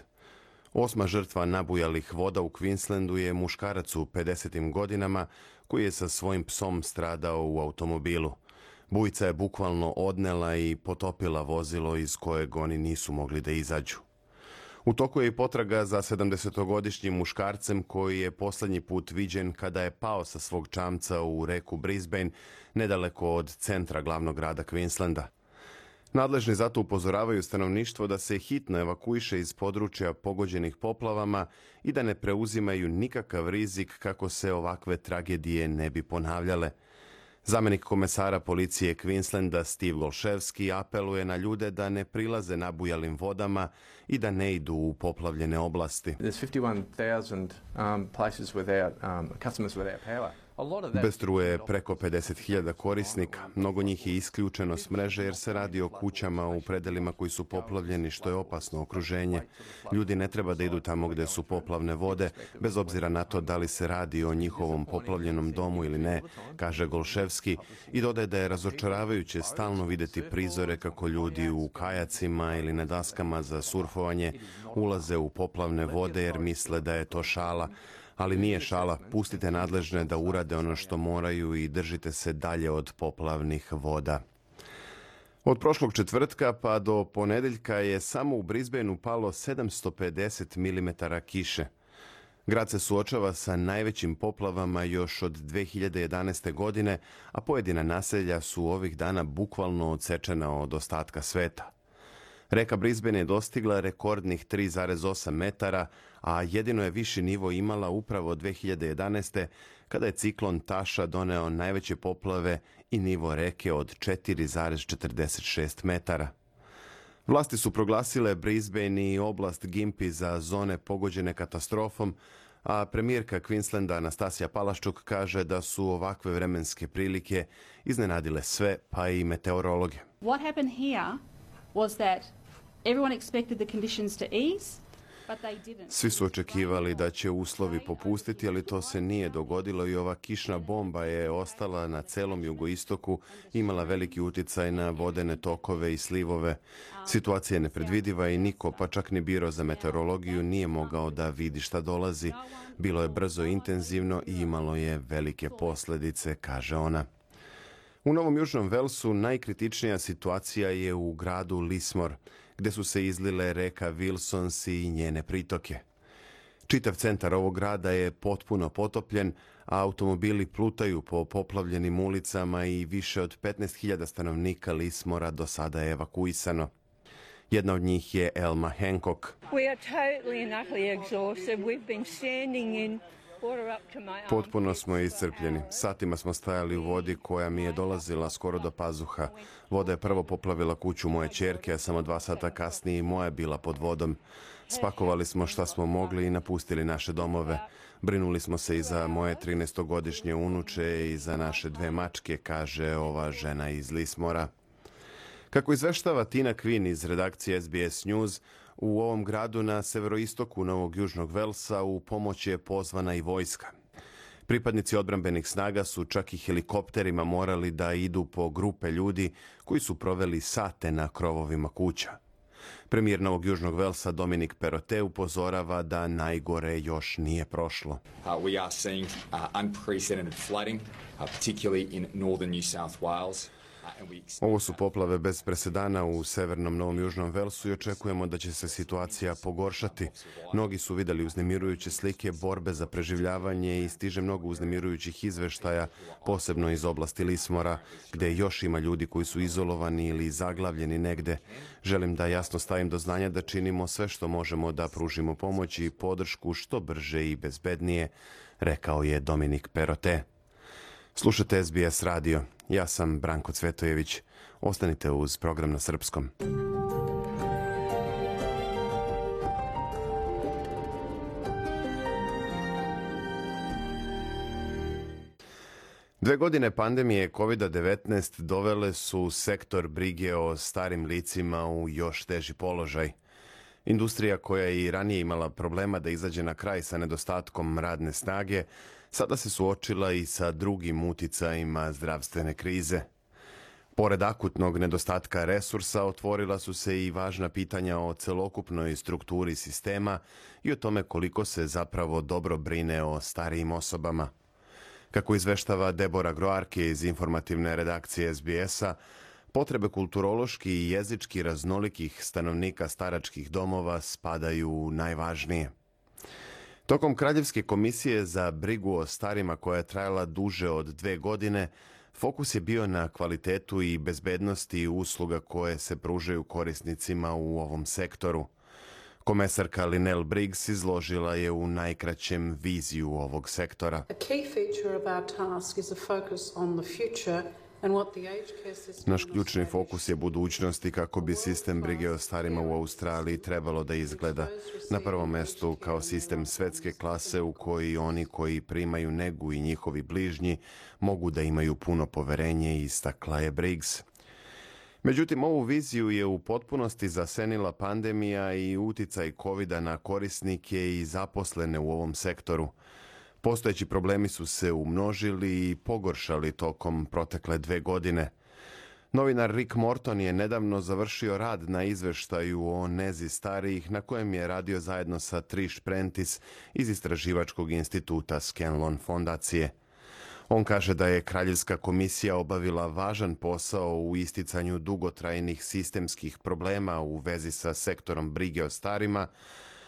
8. žrtva nabujalih voda u Queenslandu je muškarac u 50. godinama koji je sa svojim psom stradao u automobilu. Bujica je bukvalno odnela i potopila vozilo iz kojeg oni nisu mogli da izađu. U toku je i potraga za 70-godišnjim muškarcem koji je poslednji put viđen kada je pao sa svog čamca u reku Brisbane, nedaleko od centra glavnog grada Queenslanda. Nadležni zato upozoravaju stanovništvo da se hitno evakuiše iz područja pogođenih poplavama i da ne preuzimaju nikakav rizik kako se ovakve tragedije ne bi ponavljale. Zamenik komesara policije Queenslanda Steve Golševski apeluje na ljude da ne prilaze nabujalim vodama i da ne idu u poplavljene oblasti. Bez struje je preko 50.000 korisnika. Mnogo njih je isključeno s mreže jer se radi o kućama u predelima koji su poplavljeni, što je opasno okruženje. Ljudi ne treba da idu tamo gde su poplavne vode, bez obzira na to da li se radi o njihovom poplavljenom domu ili ne, kaže Golševski, i dodaje da je razočaravajuće stalno videti prizore kako ljudi u kajacima ili na daskama za surfovanje ulaze u poplavne vode jer misle da je to šala. Ali nije šala, pustite nadležne da urade ono što moraju i držite se dalje od poplavnih voda. Od prošlog četvrtka pa do ponedeljka je samo u Brisbaneu palo 750 mm kiše. Grad se suočava sa najvećim poplavama još od 2011. godine, a pojedina naselja su ovih dana bukvalno odsečena od ostatka sveta. Reka Brisbane je dostigla rekordnih 3,8 metara, a jedino je viši nivo imala upravo 2011. kada je ciklon Tasha doneo najveće poplave i nivo reke od 4,46 metara. Vlasti su proglasile Brisbane i oblast Gympie za zone pogođene katastrofom, a premijerka Queenslanda Anastasija Palaszczuk kaže da su ovakve vremenske prilike iznenadile sve, pa i meteorologe. What happened here was that everyone expected the conditions to ease, but they didn't. Svi su očekivali da će uslovi popustiti, ali to se nije dogodilo i ova kišna bomba je ostala na celom jugoistoku, imala veliki uticaj na vodene tokove i slivove. Situacija je nepredvidiva i niko, pa čak ni biro za meteorologiju, nije mogao da vidi šta dolazi. Bilo je brzo i intenzivno i imalo je velike posljedice, kaže ona. U Novom Južnom Velsu najkritičnija situacija je u gradu Lismore, gde su se izlile reka Wilsons i njene pritoke. Čitav centar ovog grada je potpuno potopljen, a automobili plutaju po poplavljenim ulicama i više od 15.000 stanovnika Lismora do sada je evakuisano. Jedna od njih je Elma Hancock. Potpuno smo iscrpljeni. Satima smo stajali u vodi koja mi je dolazila skoro do pazuha. Voda je prvo poplavila kuću moje ćerke, a samo 2 sata kasnije i moja je bila pod vodom. Spakovali smo šta smo mogli i napustili naše domove. Brinuli smo se i za moje 13-godišnje unuče i za naše 2 mačke, kaže ova žena iz Lismora. Kako izveštava Tina Quinn iz redakcije SBS News, u ovom gradu na severoistoku Novog Južnog Velsa u pomoć je pozvana i vojska. Pripadnici odbrambenih snaga su čak i helikopterima morali da idu po grupe ljudi koji su proveli sate na krovovima kuća. Premijer Novog Južnog Velsa Dominic Perrottet upozorava da najgore još nije prošlo. We are seeing unprecedented flooding, particularly in northern New South Wales. Ovo su poplave bez presedana u severnom Novom Južnom Velsu i očekujemo da će se situacija pogoršati. Mnogi su videli uznemirujuće slike borbe za preživljavanje i stiže mnogo uznemirujućih izveštaja, posebno iz oblasti Lismora, gde još ima ljudi koji su izolovani ili zaglavljeni negde. Želim da jasno stavim do znanja da činimo sve što možemo da pružimo pomoć i podršku što brže i bezbednije, rekao je Dominic Perrottet. Slušate SBS radio. Ja sam Branko Cvetojević. Ostanite uz program na srpskom. Dve godine pandemije COVID-19 dovele su sektor brige o starim licima u još teži položaj. Industrija koja je i ranije imala problema da izađe na kraj sa nedostatkom radne snage, sada se suočila i sa drugim uticajima zdravstvene krize. Pored akutnog nedostatka resursa, otvorila su se i važna pitanja o celokupnoj strukturi sistema i o tome koliko se zapravo dobro brine o starijim osobama. Kako izveštava Deborah Groarke iz informativne redakcije SBS-a, potrebe kulturološki i jezički raznolikih stanovnika staračkih domova spadaju u najvažnije. Tokom Kraljevske komisije za brigu o starima koja je trajala duže od 2 godine, fokus je bio na kvalitetu i bezbednosti usluga koje se pružaju korisnicima u ovom sektoru. Komesarka Lynelle Briggs izložila je u najkraćem viziju ovog sektora. Naš ključni fokus je budućnost i kako bi sistem brige o starima u Australiji trebalo da izgleda. Na prvom mestu kao sistem svetske klase u koji oni koji primaju negu i njihovi bližnji mogu da imaju puno poverenje, istakla je Briggs. Međutim, ovu viziju je u potpunosti zasenila pandemija i uticaj COVID-a na korisnike i zaposlene u ovom sektoru. Postojeći problemi su se umnožili i pogoršali tokom protekle 2 godine. Novinar Rick Morton je nedavno završio rad na izveštaju o nezi starijih na kojem je radio zajedno sa Trish Prentice iz istraživačkog instituta Scanlon fondacije. On kaže da je Kraljevska komisija obavila važan posao u isticanju dugotrajnih sistemskih problema u vezi sa sektorom brige o starima,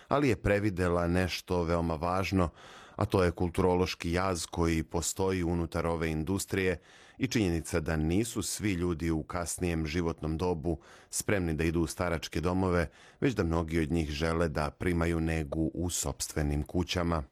ali je previdela nešto veoma važno, a to je kulturološki jaz koji postoji unutar ove industrije i činjenica da nisu svi ljudi u kasnijem životnom dobu spremni da idu u staračke domove, već da mnogi od njih žele da primaju negu u sopstvenim kućama.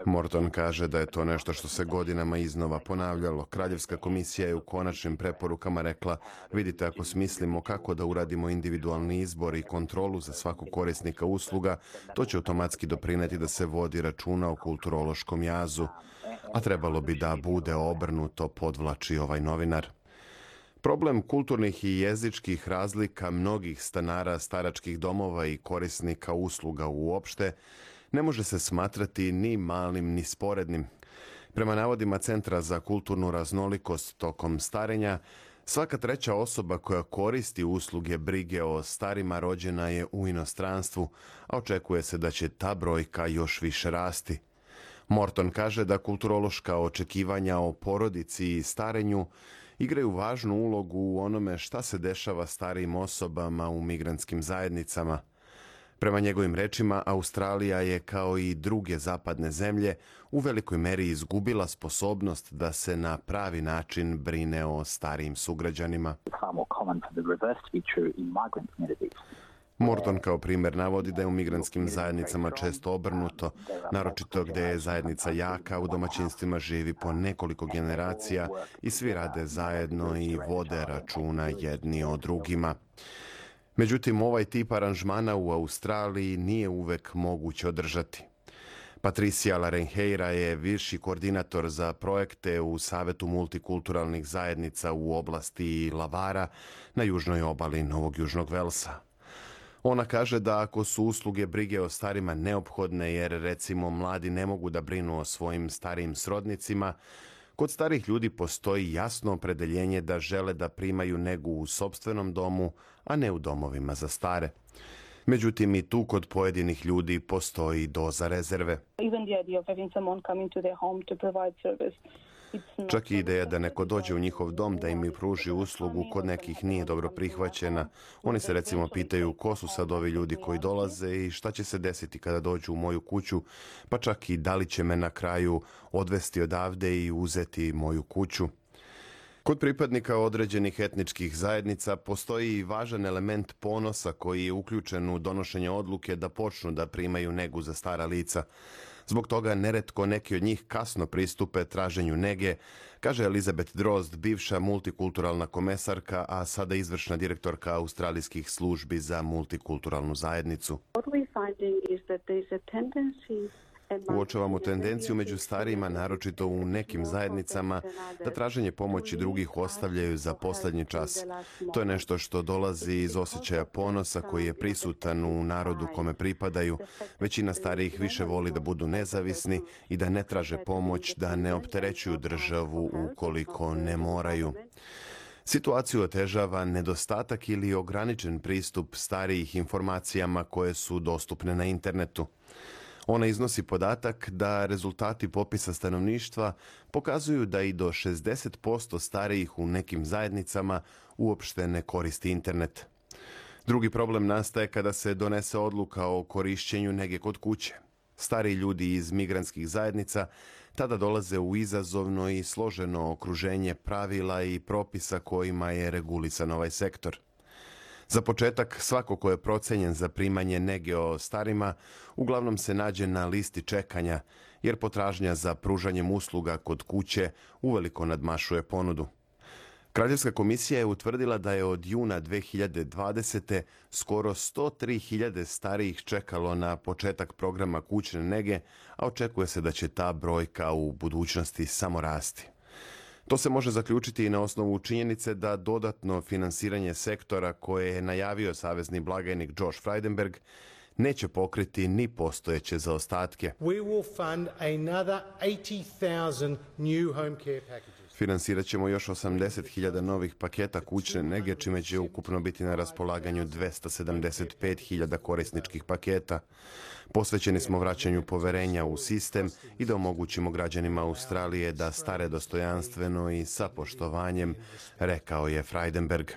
Morton kaže da je to nešto što se godinama iznova ponavljalo. Kraljevska komisija je u konačnim preporukama rekla: vidite, ako smislimo kako da uradimo individualni izbor i kontrolu za svakog korisnika usluga, to će automatski doprineti da se vodi računa o kulturološkom jazu. A trebalo bi da bude obrnuto, podvlači ovaj novinar. Problem kulturnih i jezičkih razlika mnogih stanara staračkih domova i korisnika usluga uopšte ne može se smatrati ni malim ni sporednim. Prema navodima Centra za kulturnu raznolikost tokom starenja, svaka 3. osoba koja koristi usluge brige o starima rođena je u inostranstvu, a očekuje se da će ta brojka još više rasti. Morton kaže da kulturološka očekivanja o porodici i starenju igraju važnu ulogu u onome šta se dešava starijim osobama u migrantskim zajednicama. Prema njegovim rečima, Australija je, kao i druge zapadne zemlje, u velikoj meri izgubila sposobnost da se na pravi način brine o starijim sugrađanima. Morton kao primjer navodi da je u migrantskim zajednicama često obrnuto, naročito gdje je zajednica jaka, u domaćinstvima živi po nekoliko generacija i svi rade zajedno i vode računa jedni o drugima. Međutim, ovaj tip aranžmana u Australiji nije uvek moguće održati. Patricia Larenheira je viši koordinator za projekte u Savetu multikulturalnih zajednica u oblasti Lavara na južnoj obali Novog Južnog Velsa. Ona kaže da ako su usluge brige o starima neophodne jer recimo mladi ne mogu da brinu o svojim starijim srodnicima, kod starih ljudi postoji jasno opredeljenje da žele da primaju negu u sopstvenom domu, a ne u domovima za stare. Međutim, i tu kod pojedinih ljudi postoji doza rezerve. Čak i ideja da neko dođe u njihov dom da im pruži uslugu kod nekih nije dobro prihvaćena. Oni se recimo pitaju ko su sad ovi ljudi koji dolaze i šta će se desiti kada dođu u moju kuću, pa čak i da li će me na kraju odvesti odavde i uzeti moju kuću. Kod pripadnika određenih etničkih zajednica postoji i važan element ponosa koji je uključen u donošenje odluke da počnu da primaju negu za stara lica. Zbog toga neretko neki od njih kasno pristupe traženju nege, kaže Elizabeth Drozd, bivša multikulturalna komesarka, a sada izvršna direktorka australijskih službi za multikulturalnu zajednicu. Uočavamo tendenciju među starijima, naročito u nekim zajednicama, da traženje pomoći drugih ostavljaju za posljednji čas. To je nešto što dolazi iz osjećaja ponosa koji je prisutan u narodu kome pripadaju. Većina starijih više voli da budu nezavisni i da ne traže pomoć, da ne opterećuju državu ukoliko ne moraju. Situaciju otežava nedostatak ili ograničen pristup starijih informacijama koje su dostupne na internetu. Ona iznosi podatak da rezultati popisa stanovništva pokazuju da i do 60% starijih u nekim zajednicama uopšte ne koristi internet. Drugi problem nastaje kada se donese odluka o korišćenju nege kod kuće. Stariji ljudi iz migrantskih zajednica tada dolaze u izazovno i složeno okruženje pravila i propisa kojima je regulisan ovaj sektor. Za početak, svako ko je procenjen za primanje nege o starima uglavnom se nađe na listi čekanja, jer potražnja za pružanjem usluga kod kuće uveliko nadmašuje ponudu. Kraljevska komisija je utvrdila da je od juna 2020. skoro 103.000 starijih čekalo na početak programa kućne nege, a očekuje se da će ta brojka u budućnosti samo rasti. To se može zaključiti i na osnovu činjenice da dodatno finansiranje sektora koje je najavio savezni blagajnik Josh Frydenberg neće pokriti ni postojeće zaostatke. We will fund another 80,000 new home care packages. Finansirat ćemo još 80.000 novih paketa kućne nege, čime će ukupno biti na raspolaganju 275.000 korisničkih paketa. Posvećeni smo vraćanju poverenja u sistem i da omogućimo građanima Australije da stare dostojanstveno i sa poštovanjem, rekao je Frydenberg.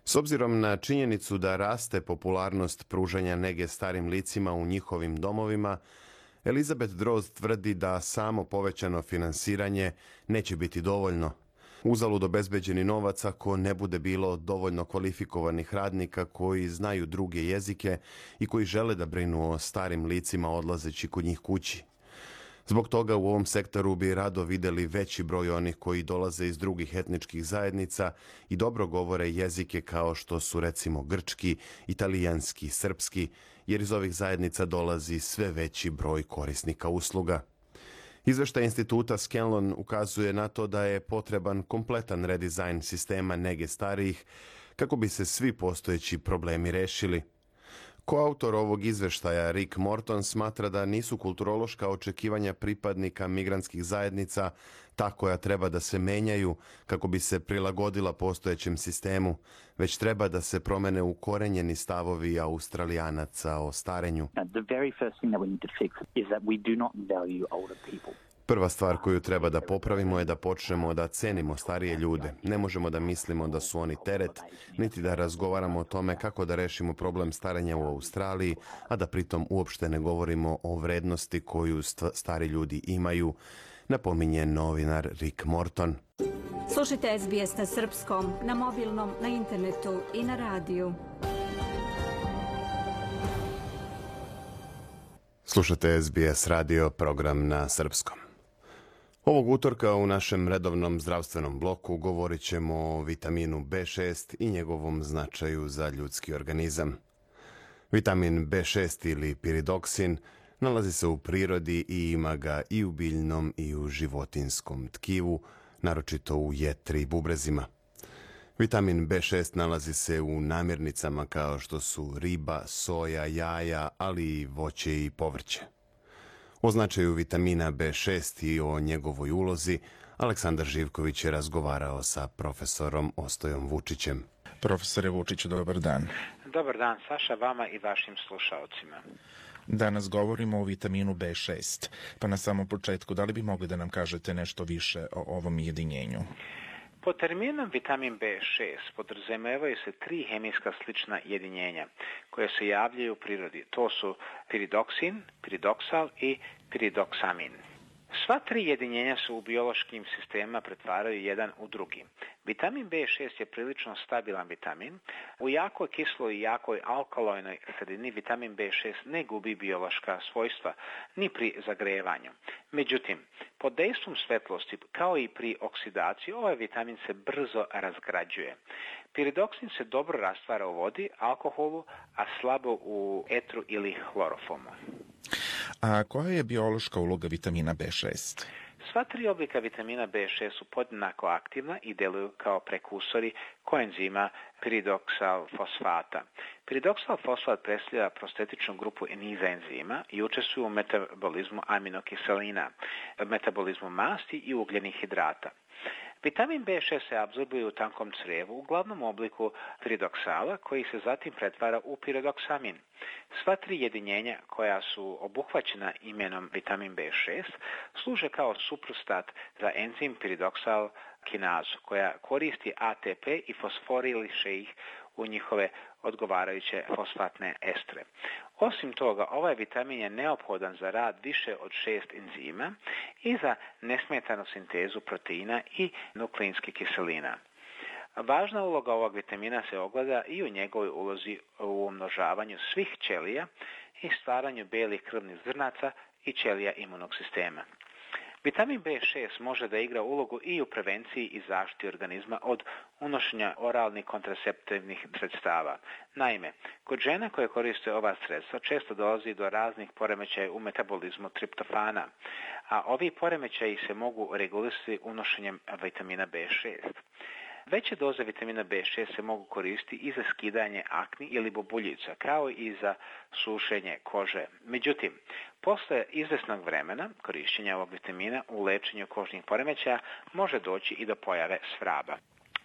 S obzirom na činjenicu da raste popularnost pružanja nege starim licima u njihovim domovima, Elizabeth Droz tvrdi da samo povećano finansiranje neće biti dovoljno. Uzalud obezbeđeni novac ako ne bude bilo dovoljno kvalifikovanih radnika koji znaju druge jezike i koji žele da brinu o starim licima odlazeći kod njih kući. Zbog toga u ovom sektoru bi rado videli veći broj onih koji dolaze iz drugih etničkih zajednica i dobro govore jezike kao što su recimo grčki, italijanski, srpski, jer iz ovih zajednica dolazi sve veći broj korisnika usluga. Izveštaj instituta Scanlon ukazuje na to da je potreban kompletan redizajn sistema nege starijih kako bi se svi postojeći problemi rešili. Koautor ovog izveštaja Rick Morton smatra da nisu kulturološka očekivanja pripadnika migrantskih zajednica ta koja treba da se menjaju kako bi se prilagodila postojećem sistemu, već treba da se promene ukorenjeni stavovi Australijanaca o starenju. Prva stvar koju treba da popravimo je da počnemo da cenimo starije ljude. Ne možemo da mislimo da su oni teret, niti da razgovaramo o tome kako da rešimo problem starenja u Australiji, a da pritom uopšte ne govorimo o vrednosti koju stari ljudi imaju, napominje novinar Rick Morton. Slušajte SBS na srpskom, na mobilnom, na internetu i na radiju. Slušajte SBS radio, program na srpskom. Ovog utorka u našem redovnom zdravstvenom bloku govorit ćemo o vitaminu B6 i njegovom značaju za ljudski organizam. Vitamin B6 ili piridoksin nalazi se u prirodi i ima ga i u biljnom i u životinskom tkivu, naročito u jetri i bubrezima. Vitamin B6 nalazi se u namirnicama kao što su riba, soja, jaja, ali i voće i povrće. O značaju vitamina B6 i o njegovoj ulozi Aleksandar Živković je razgovarao sa profesorom Ostojom Vučićem. Profesore Vučiću, dobar dan. Dobar dan, Saša, vama i vašim slušaocima. Danas govorimo o vitaminu B6, pa na samom početku, da li bi mogli da nam kažete nešto više o ovom jedinjenju? Pod terminom vitamin B6 podrazumevaju se 3 hemijska slična jedinjenja koje se javljaju u prirodi. To su piridoksin, piridoksal i piridoksamin. Sva 3 jedinjenja se u biološkim sistemima pretvaraju jedan u drugi. Vitamin B6 je prilično stabilan vitamin. U jakoj kisloj i jakoj alkalojnoj sredini vitamin B6 ne gubi biološka svojstva ni pri zagrevanju. Međutim, pod dejstvom svetlosti, kao i pri oksidaciji, ovaj vitamin se brzo razgrađuje. Piridoksin se dobro rastvara u vodi, alkoholu, a slabo u etru ili hlorofomu. A koja je biološka uloga vitamina B6? Sva 3 oblika vitamina B6 su podjednako aktivna i deluju kao prekursori koenzima piridoksal fosfata. Piridoksal fosfat predstavlja prostetičnu grupu niza enzima i učestvuju u metabolizmu aminokiselina, metabolizmu masti i ugljenih hidrata. Vitamin B6 se apsorbuje u tankom crijevu u glavnom obliku piridoksala koji se zatim pretvara u piridoksamin. Sva 3 jedinjenja koja su obuhvaćena imenom vitamin B6 služe kao suprostat za enzim piridoksal kinazu koja koristi ATP i fosforiliše ih u njihove odgovarajuće fosfatne estre. Osim toga, ovaj vitamin je neophodan za rad više od 6 enzima i za nesmetanu sintezu proteina i nukleinskih kiselina. Važna uloga ovog vitamina se ogleda i u njegovoj ulozi u umnožavanju svih ćelija i stvaranju belih krvnih zrnaca i ćelija imunog sistema. Vitamin B6 može da igra ulogu i u prevenciji i zaštiti organizma od unošenja oralnih kontraceptivnih sredstava. Naime, kod žena koje koriste ova sredstva često dolazi do raznih poremećaja u metabolizmu triptofana, a ovi poremećaji se mogu regulisati unošenjem vitamina B6. Veće doze vitamina B6 se mogu koristiti i za skidanje akni ili bubuljica, kao i za sušenje kože. Međutim, posle izvesnog vremena korišćenja ovog vitamina u lečenju kožnih poremećaja može doći i do pojave svraba.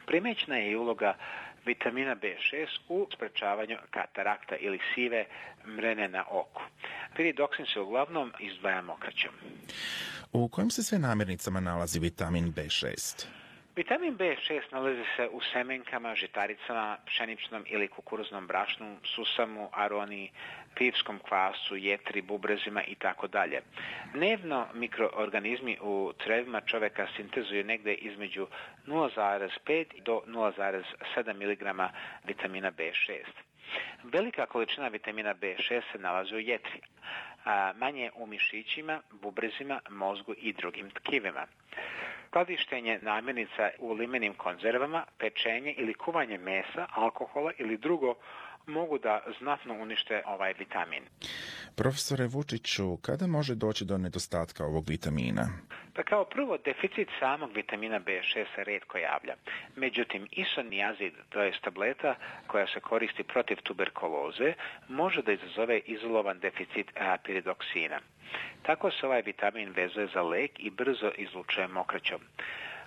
Primećena je i uloga vitamina B6 u sprečavanju katarakta ili sive mrene na oku. Piridoksin se uglavnom izdvaja mokraćom. U kojim se sve namirnicama nalazi vitamin B6? Vitamin B6 nalazi se u semenkama, žitaricama, pšeničnom ili kukuruznom brašnu, susamu, aroni, pivskom kvasu, jetri, bubrezima itd. Dnevno mikroorganizmi u crevima čoveka sintezuju negde između 0,5 do 0,7 mg vitamina B6. Velika količina vitamina B6 se nalazi u jetri, a manje u mišićima, bubrezima, mozgu i drugim tkivima. Skladištenje namirnica u limenim konzervama, pečenje ili kuvanje mesa, alkohola ili drugo mogu da znatno unište ovaj vitamin. Profesore Vučiću, kada može doći do nedostatka ovog vitamina? Pa kao prvo, deficit samog vitamina B6 se retko javlja. Međutim, isoniazid, to je tableta koja se koristi protiv tuberkuloze, može da izazove izolovan deficit piridoksina. Tako se ovaj vitamin vezuje za lek i brzo izlučuje mokraćom.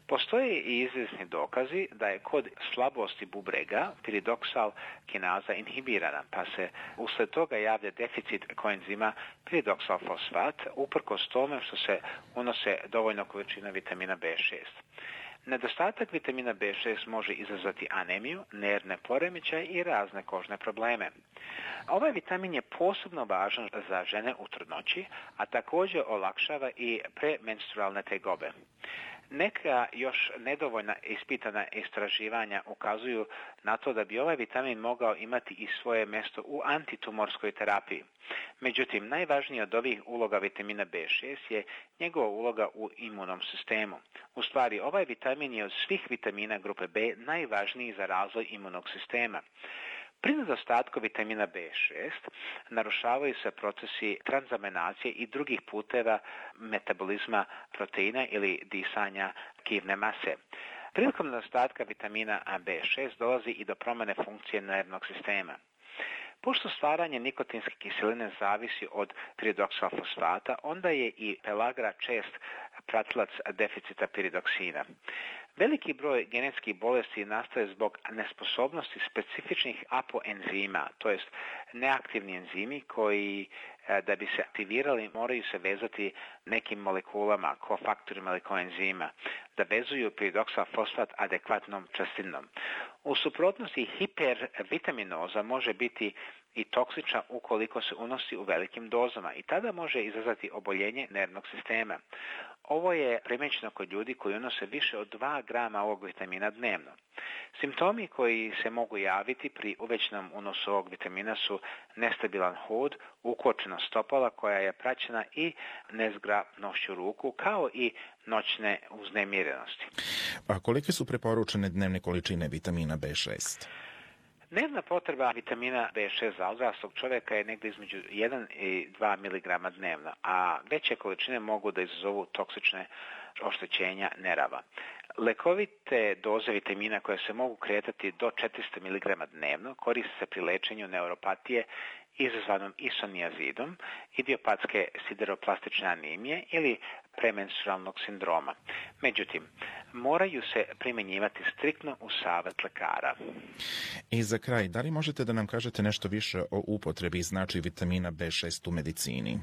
Postoje i izvjesni dokazi da je kod slabosti bubrega piridoksal kinaza inhibirana, pa se usled toga javlja deficit koenzima piridoksal fosfat, uprkos tome što se unose dovoljno količina vitamina B6. Nedostatak vitamina B6 može izazvati anemiju, nervne poremećaje i razne kožne probleme. Ovaj vitamin je posebno važan za žene u trudnoći, a također olakšava i premenstrualne tegobe. Neka još nedovoljna ispitana istraživanja ukazuju na to da bi ovaj vitamin mogao imati i svoje mjesto u antitumorskoj terapiji. Međutim, najvažnija od ovih uloga vitamina B6 je njegova uloga u imunom sistemu. U stvari, ovaj vitamin je od svih vitamina grupe B najvažniji za razvoj imunog sistema. Pri nedostatku vitamina B6 narušavaju se procesi transaminacije i drugih puteva metabolizma proteina ili disanja tkivne mase. Prilikom nedostatka vitamina B6 dolazi i do promjene funkcije nervnog sistema. Pošto stvaranje nikotinske kiseline zavisi od piridoksal fosfata, onda je i pelagra čest pratilac deficita piridoksina. Veliki broj genetskih bolesti nastaje zbog nesposobnosti specifičnih apoenzima, to jest neaktivni enzimi koji da bi se aktivirali moraju se vezati nekim molekulama, kofaktorima ili koenzima, da vezuju piridoksal fosfat adekvatnom čestinom. U suprotnosti hipervitaminoza može biti i toksična ukoliko se unosi u velikim dozama i tada može izazvati oboljenje nervnog sistema. Ovo je primećeno kod ljudi koji unose više od 2 grama ovog vitamina dnevno. Simptomi koji se mogu javiti pri uvećanom unosu ovog vitamina su nestabilan hod, ukočena stopala koja je praćena i nezgrapnošću ruku, kao i noćne uznemirenosti. A kolike su preporučene dnevne količine vitamina B6? Dnevna potreba vitamina B6 za odraslog čovjeka je negdje između 1 i 2 mg dnevno, a veće količine mogu da izazovu toksične oštećenja nerava. Lekovite doze vitamina koje se mogu kretati do 400 mg dnevno koriste se pri lečenju neuropatije izazvanom isoniazidom, idiopatske sideroplastične anemije ili premenstrualnog sindroma. Međutim, moraju se primjenjivati striktno uz savjet lekara. I za kraj, da li možete da nam kažete nešto više o upotrebi i značaju vitamina B6 u medicini?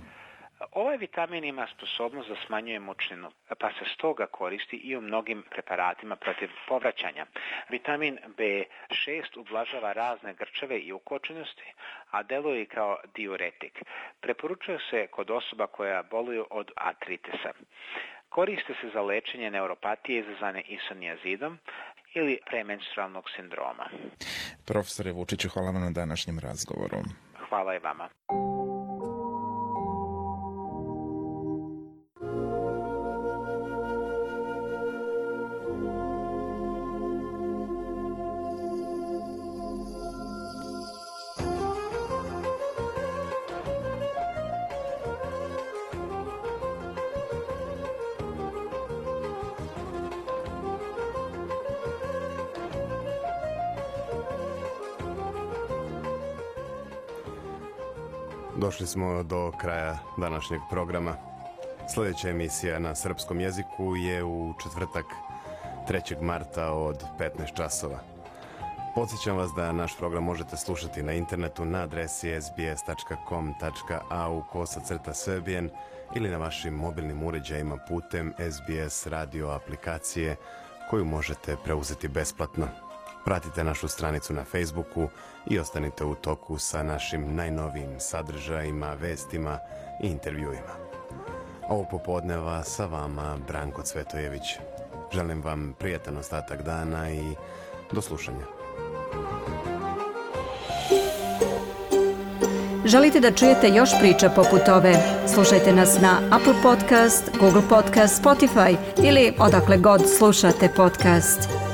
Ovaj vitamin ima sposobnost da smanjuje mučninu, pa se stoga koristi i u mnogim preparatima protiv povraćanja. Vitamin B6 ublažava razne grčeve i ukočenosti, a deluje i kao diuretik. Preporučuje se kod osoba koja boluju od artritisa. Koriste se za lečenje neuropatije izazvane isoniazidom ili premenstrualnog sindroma. Profesore Vučiću, hvala vam na današnjem razgovoru. Hvala i vama. Došli smo do kraja današnjeg programa. Sljedeća emisija na srpskom jeziku je u četvrtak 3. marta od 15 časova. Podsjećam vas da naš program možete slušati na internetu na adresi sbs.com.au/Serbian ili na vašim mobilnim uređajima putem SBS radio aplikacije koju možete preuzeti besplatno. Pratite našu stranicu na Facebooku i ostanite u toku sa našim najnovijim sadržajima, vestima i intervjuima. Ovog popodneva sa vama Branko Cvetojević. Želim vam prijatan ostatak dana i do slušanja. Želite da čujete još priča poput ove? Slušajte nas na Apple Podcast, Google Podcast, Spotify ili odakle god slušate podcast.